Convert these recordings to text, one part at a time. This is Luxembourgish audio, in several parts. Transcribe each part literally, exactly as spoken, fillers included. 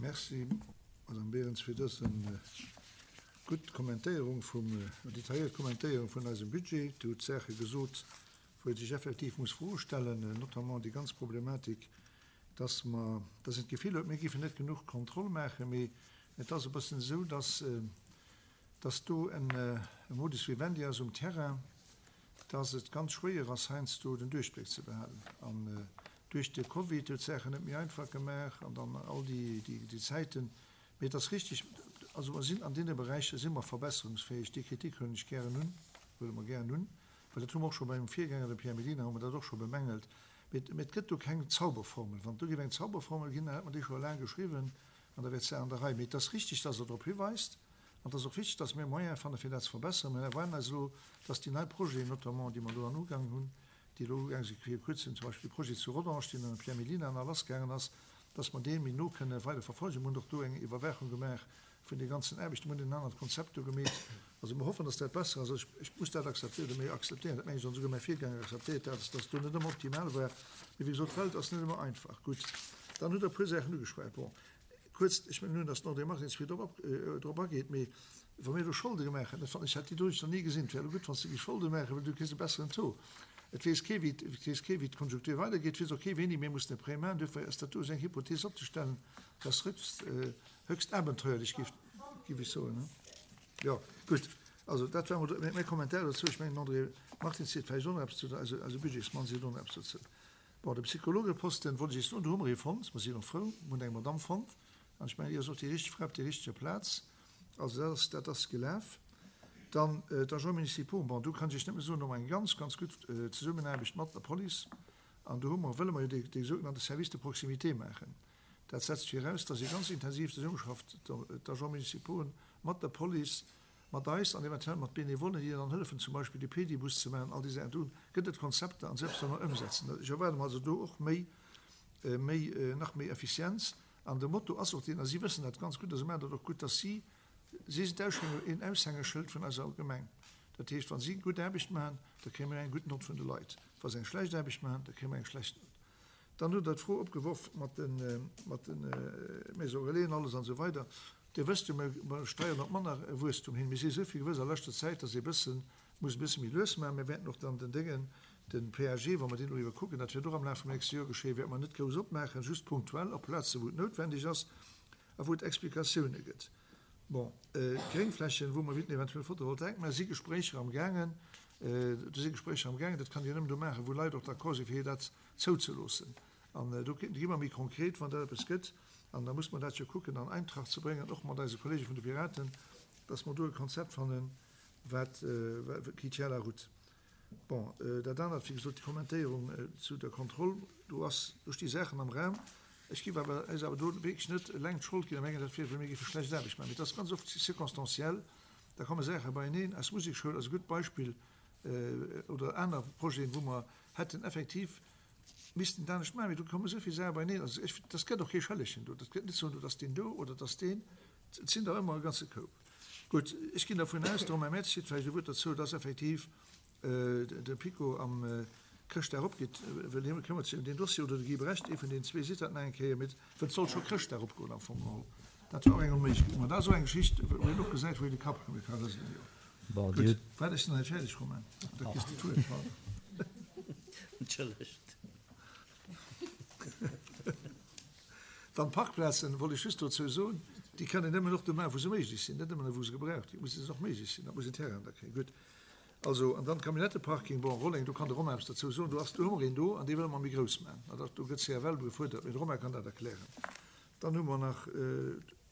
Merci, Madame Berens, fir dës gutt Kommentéierung vum, detailléiert Kommentéierung vun eisem Budget. Du hutt Saache gesot, wou ee sech effektiv muss Froe stellen, notamment déi ganz Problematik, dass mer, dass een d'Gefill huet, mir géifen net genuch Kontroll maachen, mee et ass e bëssen esou, dass, dass do en Modus vivendi ass um Terrain, dass et ganz schwéier ass, heiansdo den Duerchbléck ze behalen. An duerch de Covid huet d'Saachen net méi einfach gemaach an dann all déi, déi, déi Zäiten. Mee et ass richtig, also mer sinn an deene Beräicher si mer verbesserungsfäeg. Déi Kritik huelen ech gären un, huele mer gären un, well dat hu mer och scho beim Virgänger, dem Pierre Mellina, hu mer dat och scho bemängelt. Mee, mee et gëtt do keng Zauberformel. Wann et do géif eng Zauberformel ginn, dann hätt mer déi scho laang geschriwwen an da wär d'Saach an der Rei. Mee et ass richtig, dass Der drop hiweist an et ass och wichtig, dass mir Moyene fanne fir dat ze verbessern. Mir erwaarden eis elo, dass déi nei Projeten notamment, déi mer elo an Ugang hunn, déi elo ugaang si fir kuerzem, zum Beispill de Projet zu Rodange, deen an de Pierre Mellina nach lassgaangen ass, dass mer dee méi no kënne weider verfolgen. Mir hunn och do eng Iwwerwaachung gemaach vun de ganzen Aarbechten. Mir hunn en anert Konzept do gemeet. Also mir hoffen, dass dat besser ass. Ech, ech muss dat akzeptéieren, oder mir akzeptéieren, dat mengen ech, an esouguer mäi Virgänger akzeptéiert dat, dass dat do net ëmmer optimal war. Mee wéi gesot, d'Welt ass net ëmmer einfach. Gutt, dann hutt Der e puer Saachen ugeschwat. Bon, kuerz, ech mengen nun, dass den André Martins vill drop, drop ageet, mee wa mir elo Scholde gemaach hätten, dat fannen ech, hätt déi do nach ni gesinn. Et wär elo gutt, wann s de géifs Scholde maachen, well du kriss e besseren Taux. Et weess kee wéi, et weess kee wéi d'Konjunktur weidergeet, et weess och kee wéini mir mussen e Prêt maachen. Duerfir ass dat do esou eng Hypothees opzestellen, dat ass höchst, höchst abenteuerlich, géif, géif ech soen. Jo, gutt, also dat war emol mäi Kommentar dozou. Ech mengen, den André Martins seet vläicht och nach eppes zu, eise, eise Budgetsmann seet och nach eppes dozou. Bon, de Psychologeposten, wollt ech Iech soen, do hu mer ee fonnt, mer sinn och frou, mer hunn eng Madamm fonnt, an ech mengen, déi ass och déi richteg Fra op der richteger Plaz. Also dat ass, dat ass gelaf. Dann d'Agents municipaux, bon, do kann ech Iech nëmme soen, do hu mer eng ganz, ganz gutt Zesummenaarbecht mat der Police an do hu mer, wëlle mer jo dee, dee sougenannte Service de proximité maachen. Dat setzt viraus, dass ee ganz intensiv zesummeschafft, d'Agents municipaux mat der Police, mat eis an eventuell mat Benevollen, déi dann hëllefen, zum Beispill de Pedibus ze maachen, all déi Saachen. Do gëtt et Konzepter an selbst wa mer ëmsetzen. Ech erwaarde mer also do och méi, méi, nach méi Effizienz. An de Motto ass och deen, a si wëssen dat ganz gutt a se maachen dat och gutt, dass si, si sinn d'Aushänge, een Aushängeschëld vun eiser Gemeng. Dat heescht, wa si gutt Aarbecht maachen, da kréie mir eng gutt Nott vun de Leit. Wa se eng schlecht Aarbecht maachen, da kréie mir eng schlecht Nott. Dann hutt Der d'Fro opgeworf mat de, mat de Maisons relais an alles an esou weider. Dir wësst jo, mir, mir steieren op manner Wuesstum hin. Mir si esou vill gewuess a leschter Zäit, dass ee bëssen, muss e bësse méi lues maachen. Mir wäerten och dann den Déngen, den P A G, wa mer deen elo iwwerkucken, dat wäert och am Laf vum nächste Joer geschéien, wäerte mer net grouss opmaachen, just punktuell op Plazen, wou et noutwendeg ass a wou et Explikatioune gëtt. Bon, d'Gréngflächen, wou mer wéilten eventuell Photovoltaik maachen, si Gespréicher am gaangen. Do si Gespréicher am gaangen. Dat kann een jo nëmmen do maachen, wou Leit och d'accord sinn, fir dat zouzeloossen. An do gi mer méi konkret, wann dat eppes gëtt. An da muss mer dat jo kucken an Eintracht ze bréngen, och mat eise Kollege vun de Piraten, dass mer do e Konzept fannen, wat qui tient la route. Bon, dat anert, wéi gesot, déi Kommentéierung zu der Kontroll, do ass, do sti Saachen am Raum. Ech géif awer eis awer do wierklech net eleng d'Schold ginn a mengen, dat wier, well mir géife schlecht Aarbecht maachen. Mee et ass ganz oft circonstanciel, da komme Saache beieneen. Eis Musekschoul ass e gutt Beispill, oder aner Projeten, wou mer hätten effektiv missten et anescht maachen. Mee do komme esou vill Saache beieneen. Also ech, dat gëtt och kee Schëllegen do. Dat gëtt net soen, dat ass deen do oder dat ass deen. Et sinn der ëmmer e ganze Koup. Gutt, ech ginn dervun aus, de Romain Mertz seet vläicht e Wuert dozou, dass effektiv de PiKo am Chrëschtdag opgeet, well hie këmmert sech ëm deen Dossier, oder de Guy Brecht, ee vun deenen zwee seet dat nach eng Kéier, mee well et soll scho Chrëschtdag opgoen am Fong geholl. Dat war och eng Onméiglechkeet. Ma dat ass och eng Geschicht, wou een och gesäit, wou een de Kapp ka rëselen, jo. Bon, Dir Gutt, hutt. waart, ech sinn nach net fäerdeg, Romain, da kriss de d'Wuert, pardon. Entschëllegt. Dann d'Parkplazen, wollt ech just dozou soen, déi kann een nëmmen och do maachen, wou se méiglech sinn, net nëmmen wou se gebraucht ginn, musse se och méiglech sinn, dat muss een Terrain da kréien. Gutt, also, an dann d'Camionnettëparking, bon, Rolleng, do kann de Romain eppes dozou soen, do ass, do hu mer een do an dee wëlle mer méi grouss maachen. An dat, do gëtt C F L gefuerdert, mee de Romain kann dat erklären. Dann hu mer nach,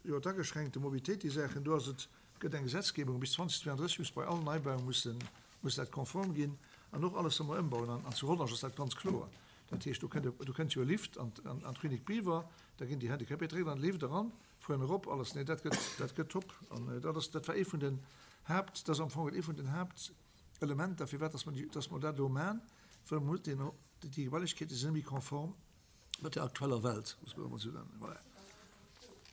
jo, d'ageschränkte Mobilitéit, déi Saachen, do ass et, gëtt eng Gesetzgebung, bis zweedausendzweianddrësseg muss bei allen Neibaue mussen, muss dat konform ginn an och alles, wat mer ëmbauen. An, an zu Rodange ass dat ganz kloer. Dat heescht, do kënnt, do kënnt jo e Lift an, an, an d'Klinik Biwer, da ginn déi Handicapéiert direkt an de Lift eran, fueren erop, alles. Nee, dat gëtt, dat gëtt top. An dat ass, dat war ee vun den Haapt, dat ass am Fong ee vun den Haaptelementer, firwat dass mer déi, dass mer dat elo maachen, well mer deen, déi Gebailechkeete sinn net méi konform mat der aktueller Welt, muss mer emol esou nennen. Voilà.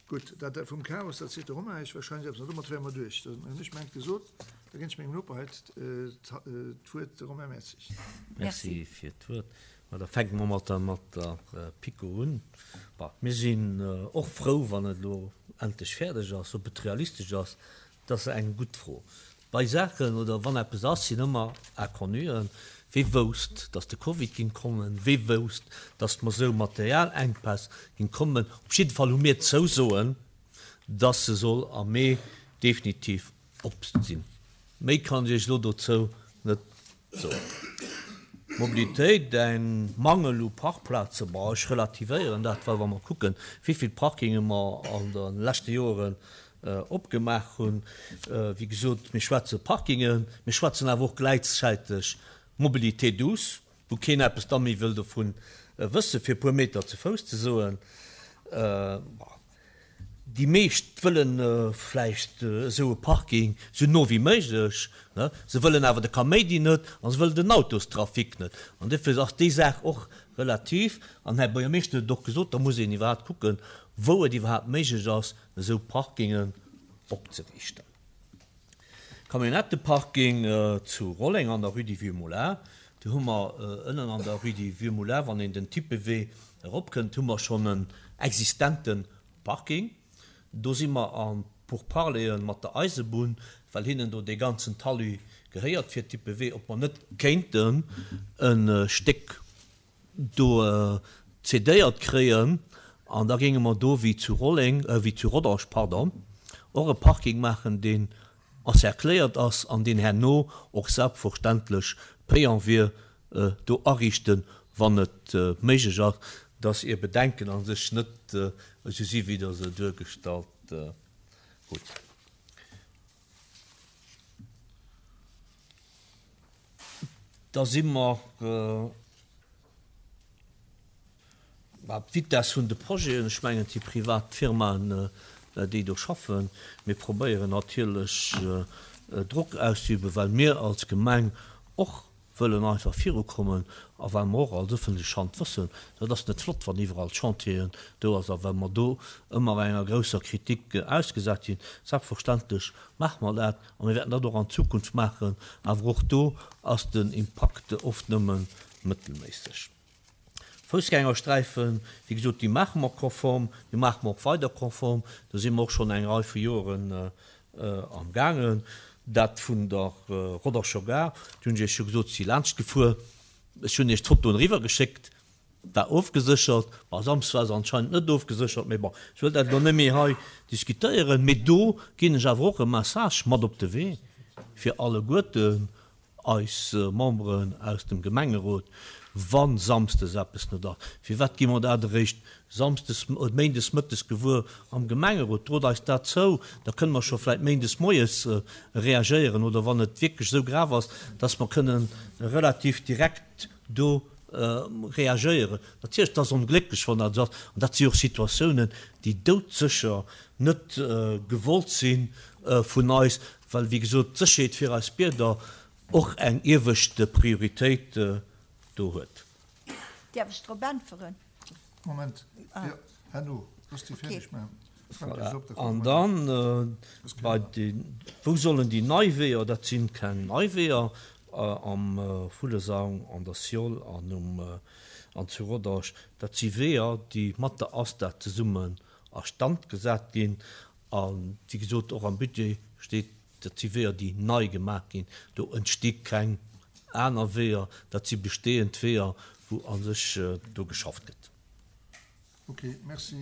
Gutt, dat vum Chaos, dat seet de Romain Eich wahrscheinlech eppes, an domat wäre mer duerch. Dann hunn ech mengt gesot, da ginn ech mengem Noper hei d'Wuert, de Romain Mertzig. Merci fir d'Wuert. Ma da fänke mer mat der, mat der PiKo un. Bon, mir sinn och frou, wann et elo endlech fäerdeg ass. Ob et realistesch ass, dat ass eng gutt Fro. Bei Saachen oder wann eppes ass, sinn ëmmer Inconnuen. Wie wousst, dass de Covid géing kommen? Wie wousst, dass mer esou Materialenkpäss géing kommen? Op jidde Fall hu mir d'Zousoen, dass se soll am Mee definitiv op sinn. Méi kann ech Iech elo dozou net soen. Mobilitéit, eng Mangel u Parkplazen, bon, ech relativéieren dat, well wa mer kucken, wéi vill Parkinge mer an de leschte Joren opgemaach hunn, wéi gesot, mir schwätze Parkingen, mir schwätzen awer och gläichzäiteg Mobilité douce, wou keen eppes da méi wëll dovun wëssen, fir e puer Meter ze Fouss ze soen. Bon, déi meescht wëlle vläicht esou e Parking esou no wéi méiglech, ne? Se wëllen awer de Kaméidi net a se wëllen den Autostrafic net. An duerfir ass déi Saach och relativ. An den Här Buergermeeschter huet et och gesot, da muss een iwwerhaapt kucken, wou et iwwerhaapt méiglech ass, esou Parkingen opzeriichten. Camionnetteparking zu Rolleng an der Rue du Vieux Moulin, do hu mer ënnen an der Rue du Vieux Moulin, wann een den Tippewee eropkënnt, hu mer schonn en existente Parking. Do si mer a Pourparleren mat der Eisebunn, well hinnen do dee ganzen Talus gehéiert fir Tippewee, ob mer net kéinten e Stéck do cédéiert kréien an da géinge mer do wéi zu Rolleng, wéi zu Rodange, pardon, och e Parking maachen, deen encercléiert ass an deen herno och selbstverständlech payant wier, do ariichten, wann et méiglech ass, dass Är Bedenken a sech net esou si wéi Der se duergestallt hutt. Da si mer. D'Vitess vun de Projeten, ech mengen, et si privat Firmaen, déi do schaffen. Mir probéieren natierlech Drock auszeüben, well mir als Gemeng och wëllen einfach virukommen a well mer och als ëffentlech Hand wëssen, dat ass net flott, wann iwwerall Chantieren do ass a well mer do ëmmer enger grousser Kritik ausgesat sinn. Selbstverständlech maache mer dat a mir wäerten dat och an Zukunft maachen, awer och do ass den Impakt oft nëmme mëttelméisseg. Foussgängersträifen, wéi gesot, déi maache mer konform, déi maache mer och weider konform. Do si mer och schonn eng Rei vu Joren amgaangen. Dat vun der Roderscher Gare, do hunn ech Iech jo gesot, si laanscht gefuer. Ech hunn Iech d'Fotoen eriwwergeschéckt, war ofgeséchert. Bon, Samsdes war se anscheinend net ofgeséchert, mee bon, ech wëll dat elo net méi hei diskutéieren. Mee do ginn ech awer och e Message mat op de Wee fir alleguerten eis Memberen aus dem Gemengerot, wa samsdes eppes net ass, firwat gi mer dat eréischt samsdes, méindes mëttes gewuer am Gemengerot? Drot eis dat zou, da kënne mer scho vläicht méindes moies reagéieren oder wann et wierklech esou grav ass, dass mer kënnen relativ direkt do reagéieren. Natierlech, et ass onglécklech, wann dat esou ass, an dat si och Situatiounen, déi doudsécher net gewollt si vun eis, well, wéi gesot, d'Sécherheet fir eis Bierger och eng iewescht Prioritéit do huet. Däerf ech drop äntweren? Moment, jo, herno, looss déi fäerdeg maachen. Voilà. An dann bei de, wou sollen déi nei Weeër, dat si keng nei Weeër, am Vullesang, an der Sioll an um, an zu Rodange, dat si Weeër, déi mat der ASTA zesummen a Stand gesat ginn. A wéi gesot, och am Budget steet, Dat si Weeër, déi nei gemaach ginn. Do entsti keng aner Weeër. Dat si bestehend Weeër, wou a sech do geschafft gëtt. Ok, merci,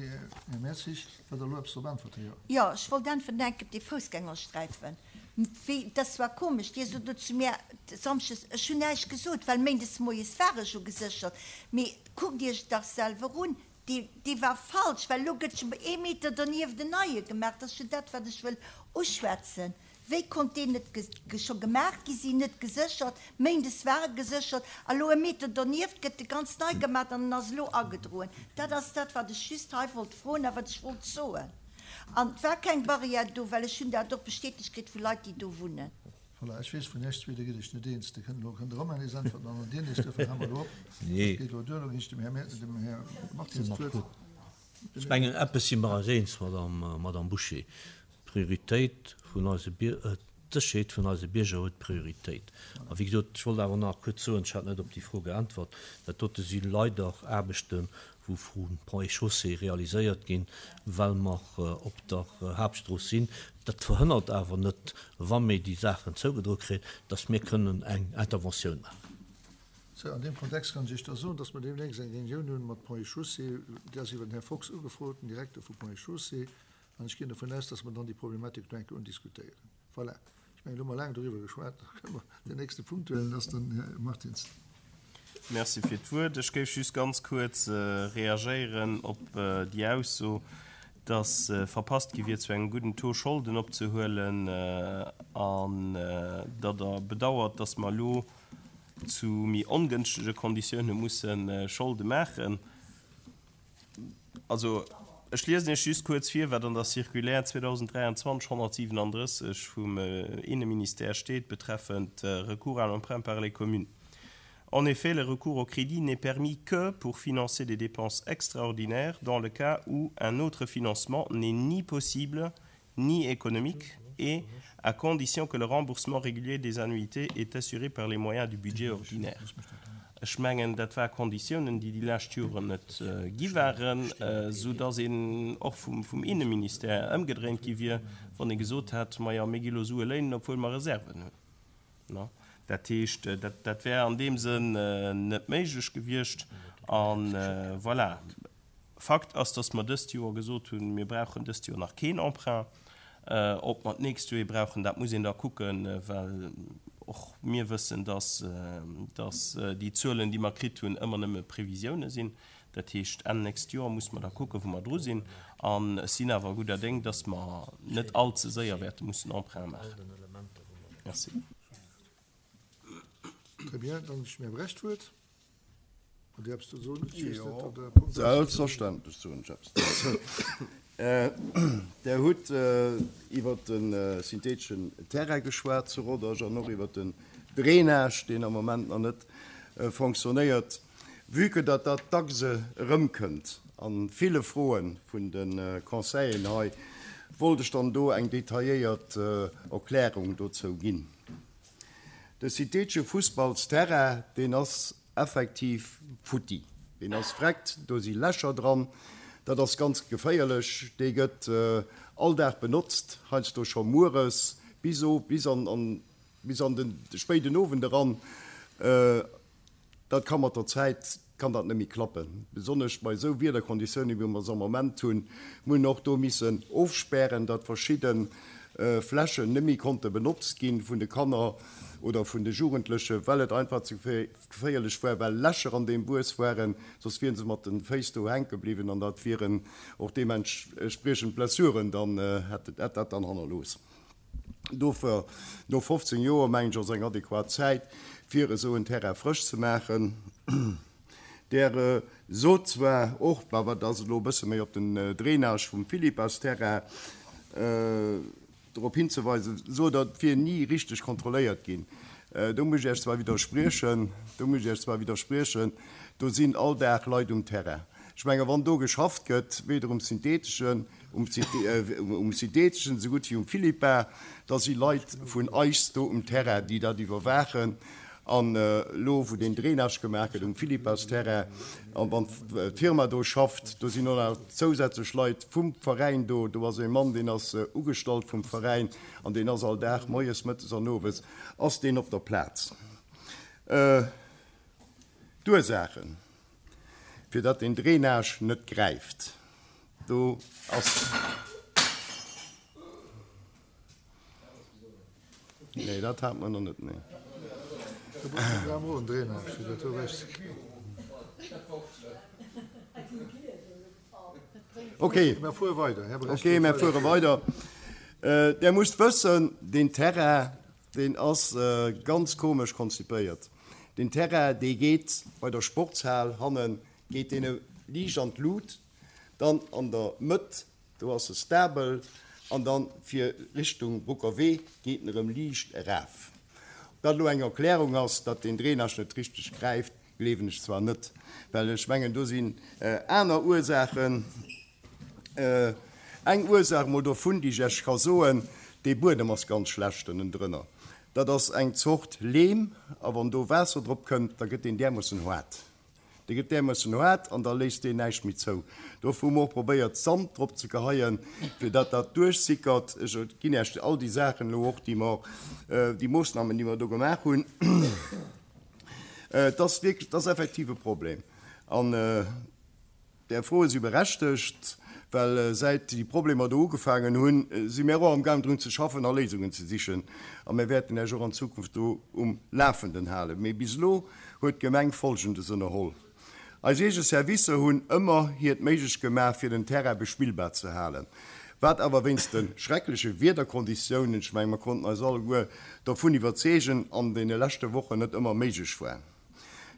Här Mertzig. Wëllt Der elo eppes drop äntwerten? Jo. Jo, ech wollt äntwerten enk op dee Foussgängersträifen. Wéi, dass war komesch, Dir sot elo zu mär samschdes, ech hunn näischt gesot, well méindes moies war ech ugeséchert. Mee kuckt Iech et dach selwer un, Dee, dee war falsch, well elo gëtt jo ee Meter donieft en neie gemaach. Dat ass jo dat, wat ech wëll uschwätzen. Wéi konnt deen net scho gemaach gi sinn, net geséchert? Méindes war e geséchert a lo e Meter donieft gëtt e ganz nei gemaach an en ass elo agedroen. Dat ass dat, wat ech just hei wollt froen a wat ech wollt soen. An et war keng Barrière do, well ech hunn dat och bestätegt kritt vu Leit, déi do wunnen. Voilà, ech weess, vun Iech zwee, do gitt Iech net eens. Dir kënnt elo, kënnt de Romain nees äntwerten an dann Dir nees. Duerfir hale mer elo op. Dat geet elo duer. Elo ginn ech dem Här Mer-, dem Här Martins d'Wuert. Ech mengen, eppes si mer eis eens, Madame, Madame Bouché, D'Prioritéit vun eise Bier, D'Sécherheet vun eise Bierger huet Prioritéit. A wéi gesot, ech wollt awer nach kuerz soen, ech hat net op déi Fro geäntwert, dat dote si leider Aarbechten, wou vu Ponts et Chaussées realiséiert ginn, well mer op der Haaptstrooss sinn. Dat verhënnert awer net, wa mir déi Saachen zougedroe kréien, dass mir kënnen eng Interventioun maachen. Sou, an deem Kontext kann ech Iech da soen, dass mer deemnächst eng Reunioun hunn mat Ponts et Chaussées. Déi ass iwwer den Här Fox ugefrot, den Direkter vu Ponts et Chaussées. An ech ginn dovun aus, dass mer dann déi Problematik do eng Kéier undiskutéieren. Voilà. Ech mengen, elo hu mer laang doriwwer geschwat. Da kënne mer den nächste Punkt huelen. Dat ass den Här Martins. Merci fir d'Wuert. Ech géif just ganz kuerz reagéieren op déi Ausso, dass verpasst gi wier, zu engem gudden Taux Scholden opzehuelen, an datt Der bedauert, dass mer elo zu méi ongënschtege Konditioune musse Scholde maachen. Also, ech liesen Iech just kuerz vir, wat an der Circulaire zweedausenddräianzwanzeg honnertsiwenandrësseg vum Inneministère steet betreffend Recours à l'emprunt par les communes. En effet, le recours au crédit n'est permis que pour financer des dépenses extraordinaires dans le cas où un autre financement n'est ni possible ni économique et à condition que le remboursement régulier des annuités est assuré par les moyens du budget ordinaire. Ech mengen, dat war Konditiounen, déi déi lescht Joren net gi waren, soudass een och vum Inneministère ëmgedréint gi wier, wann ee gesot hätt, Majo, mir gi lo Sue léinen, obwuel mer Reserven hunn. Dat heescht, dat wär an deem Sënn net méiglech gewiescht. A voilà, Fakt ass, dass mer dëst Joer gesot hunn, mir brauchen dëst Joer nach keen Emprunt. Ob mer d'nächst Joer ee brauchen, dat muss een da kucken, well och mir wëssen, dass déi Zuelen, déi mer kritt hunn, ëmmer nëmme Previsioune sinn. Dat heescht, Enn nächst Joer muss mer da kucken, wou mer dru sinn. An ech sinn awer gudder Déng, dass mer net allze séier wäerte mussen Emprunte maachen. Merci. Très bien, dann ech mir Brecht d'Wuert. Hutt Dir eppes ze soen? Ech weess net, ob Der e Punkt hutt. Selbstverständlech soen ech eppes dozou. Der hutt iwwert de syntheeteschen Terrain geschwat zu Rodange an och iwwert den Drainage, deen am Moment nach net fonctionnéiert. Vue que datt dat dacks erëmkënnt a ville Froe vun de Conseilleren hei, wollt ech dann do eng detailléiert Erklärung dozou ginn. De syntheetesche Fussballsterrain, deen ass effektiv futti, deen ass vreckt, do si Lächer dran, dat ass ganz geféierlech. Dee gëtt all Dag benotzt, heiansdo scho mueres bis bis an bis an de spéiden Owend eran. Dat ka mat der Zäit kann dat net méi klappen, besonnesch bei esou Wiederkonditiounen, wéi mer se am Moment hunn. Mir hunn och do missen ofspären, datt verschidde Flächen net méi konnte benotzt gi vun de Kanner oder vun de Jugendlechen, well et einfach ze geféierlech war, well Lächer an deem Wuess waren, soss wieren se mat de Féiss do hänke bliwwen an dat wieren och deementspriechend Blessuren dann, hätt dat dann hannerlooss. Dofir, no fofzéng Joer, mengen ech, ass eng adequat Zäit, fir esou en Terrain frësch ze maachen. Der sot zwar och, awer dat ass elo e bësse méi op den Drainage vum Philippas-Terrain drop hinzeweisen, sot Der, et wier ni richteg kontrolléiert ginn. Do muss ech Iech zwar widderspriechen, do muss ech Iech zwar widderspriechen, do sinn all Dag Leit um Terrain. Ech menge wann do geschafft gëtt, weder um syntheteschen, um syntheteschen esou gutt wéi um Philippa, da si Leit vun eis do um Terrain, déi dat iwwerwaachen. An elo, wou deen Drainage gemaach gëtt um Philippas-Terrain, an wann d'Firma do schafft, do sinn och nach zousätzlech Leit vum Veräin do. Do ass ee Mann, deen ass ugestallt vum Veräin an deen ass all Dag, moies, mëttes an owes, ass deen op der Plaz. D'Ursaachen, fir datt deen Drainage net gräift, do ass. Nee, dat hat mer nach net, nee. Do brauch een awer och en Drainage, fir dat do ewechzekréien. Okay. Mä fuer weider, Här Brecht. Okay, mä fuere weider. Der musst wëssen, deen Terrain, deen ass ganz komesch konzipéiert. Deen Terrain, dee geet bei der Sportshal hannen, geet deen liicht an d'Lut, dann an der Mëtt Do ass e stabel an dann fir Richtung Brucker Wee geet en erëm liicht eraf. Ob dat elo eng Erklärung ass, datt deen Drainage net richteg gräift, gleewen ech zwar net, well ech mengen do sinn aner Ursaachen. Eng Ursaach mol dovun, déi ech Iech ka soen, Dee Buedem ass ganz schlecht ënnendrënner. Dat ass eng Zort Leem, a wann do Waasser drop kënnt, da gëtt deen därmoossen haart. Dee gëtt därmoossen haart an da léisst deen näischt méi zou. Dofir hu mer och probéiert, Sand drop ze geheien, fir datt dat duerchsickert. Ech ginn Iech all déi Saachen elo och, déi mer, déi Moossnamen, déi mer do gemaach hunn. Et ass wierklech, et ass effektiv e Problem. An Är Froe si berechtegt, well säit déi Problemer do ugefaangen hunn, si mär och amgaang drun ze schaffen a Léisungen ze sichen. A mär wäerten Iech och an Zukunft do um Lafenden halen. Mee bis elo huet d'Gemeng Folgendes ënnerholl, Eis eege Servicer hunn ëmmer hiert Méiglecht gemaach, fir den Terrain bespillbar ze halen, wat awer wéinst de schreckleche Wiederkonditiounen, ech menge mer konnten eis alleguer dovun iwwerzeegen, an deene leschte Wochen net ëmmer méiglech war.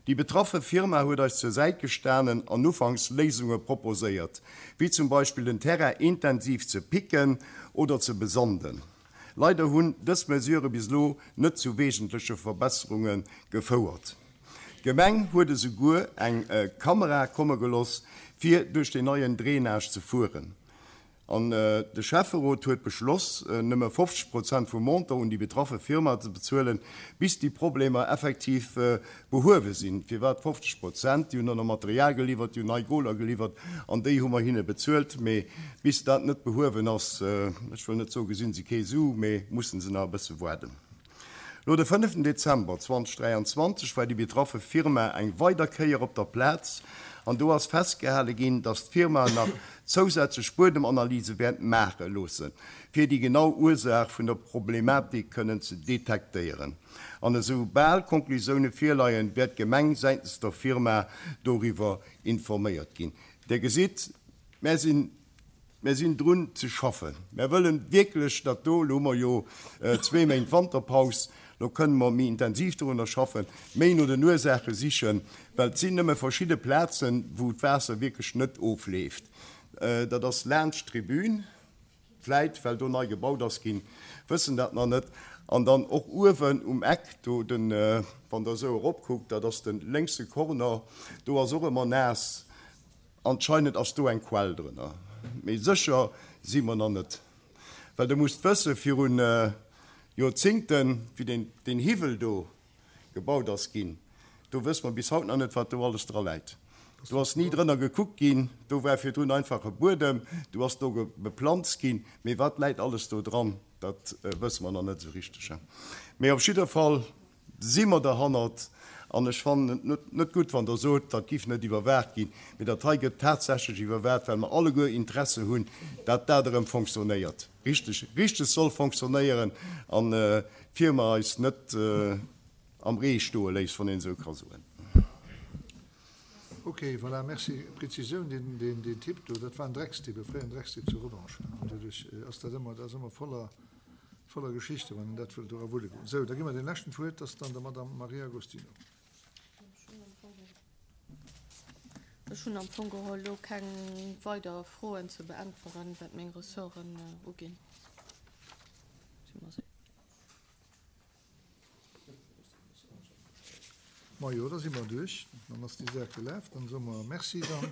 Déi betraffe Firma huet eis zur Säit gestanen an ufanks Léisunge proposéiert, wéi zum Beispill den Terrain intensiv ze picken oder ze besanden. Leider hunn dës Mesurë bis elo net zu wesentleche Verbesserunge gefouert. D'Gemeng huet esouguer eng Kamera komme geloss, fir duerch den neien Drainage ze fueren. An de Schäfferot huet beschloss, nëmme fofzeg Prozent vum Montant un déi betraffe Firma ze bezuelen, bis déi Problemer effektiv behuewe sinn. Firwat fofzeg Prozent? Déi hunn dann nach Material geliwwert, déi hunn nei Goler geliwwert an déi hu mer hinne bezuelt. Mee bis dat net behuewen ass, ech wëll net soe gesinn se kee Su, mee mussen se nach e bësse waarden. Lo de fënneften Dezember zweitausenddräianzwanzeg war déi betraffe Firma eng weider Kéier op der Plaz an do ass festgehale ginn, dass d'Firma nach zousätzlech Buedemanalyse wäert maache loossen, fir déi genau Ursaach vun der Problematik kënnen ze detektéieren. An esou bal Konklusioune virleien, wäert d'Gemeng säitens der Firma doriwwer informéiert ginn. Dir gesitt, mär sinn Mär sinn drun ze schaffen. Mär wëllen wierklech dat do, elo hu mer jo zwee Méint Wanterpaus, elo kënne mer méi intensiv dorunner schaffen, méi no den Ursaache sichen, well et sinn nëmme verschidde Plazen, wou d'Waasser wierklech net ofleeft. Dat ass laanscht d'Tribün, vläit well do nei gebaut ass ginn, wëssen dat nach net. An dann och uewen um Eck do, den, wann Der esou eropkuckt, dat ass de lénkse Corner, do ass och ëmmer naass. Anscheinend ass do eng Quell drënner, mee sécher si mer nach net. Well Der musst wëssen, virun Joerzingten, wéi deen, deen Hiwwel do gebaut ass ginn, do wësse mer bis haut nach net, wat do alles dra läit. Do ass ni drënner gekuckt ginn, do war virdrun einfach e Buedem, do ass do beplanzt ginn, mee wat läit alles do dran, dat wësse mer nach net esou richteg. Mee op jidder Fall si mer derhannert. An ech fannen et net gutt, wann Der sot, dat giff net iwwerwaacht ginn. Mee dat hei gëtt tatsächlech iwwerwaacht, well mer alleguer Interesse hunn, dat dat erëm fonctionnéiert, richteg, richteg soll fonctionnéieren an d'Firma eis net am Ree stoe léisst, wann een esou ka soen. Ok, voilà, merci. Prezisioun, deen, deen, deen Typ do, dat war en Dreckstipp, e fréieren Dreckstipp zu Rodange. An doduerch ass dat ëmmer, dat ass ëmmer voller, voller Geschichte, wann een dat wëllt dora wulle goen. Sou, da gi mer deem leschten d'Wuert, dat ass dann der Madame Maria Agostino. Ech hunn am Fong geholl elo keng weider Froen ze beäntweren, wat meng Ressorten uginn. Majo, da si mer duerch. Dann ass déi Saach gelaf. Dann soe mer Merci dann.